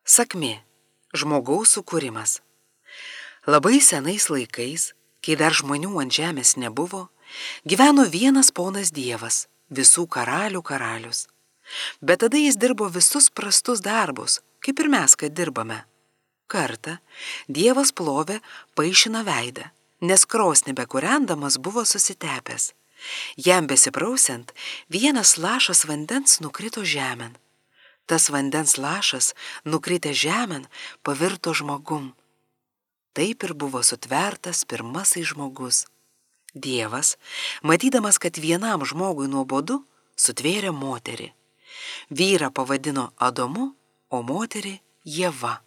Sakmė – žmogaus sukūrimas. Labai senais laikais, kai dar žmonių ant žemės nebuvo, gyveno vienas ponas Dievas, visų karalių karalius. Bet tada jis dirbo visus prastus darbus, kaip ir mes, kad dirbame. Kartą Dievas plovė paišino veidą, nes krosnį bekūrendamas buvo susitepęs. Jam besiprausiant, vienas lašas vandens nukrito žemėn. Tas vandens lašas, nukritęs žemėn, pavirto žmogum. Taip ir buvo sutvertas pirmasis žmogus. Dievas, matydamas, kad vienam žmogui nuobodu, sutvėrė moterį. Vyrą pavadino Adomu, o moterį Ieva.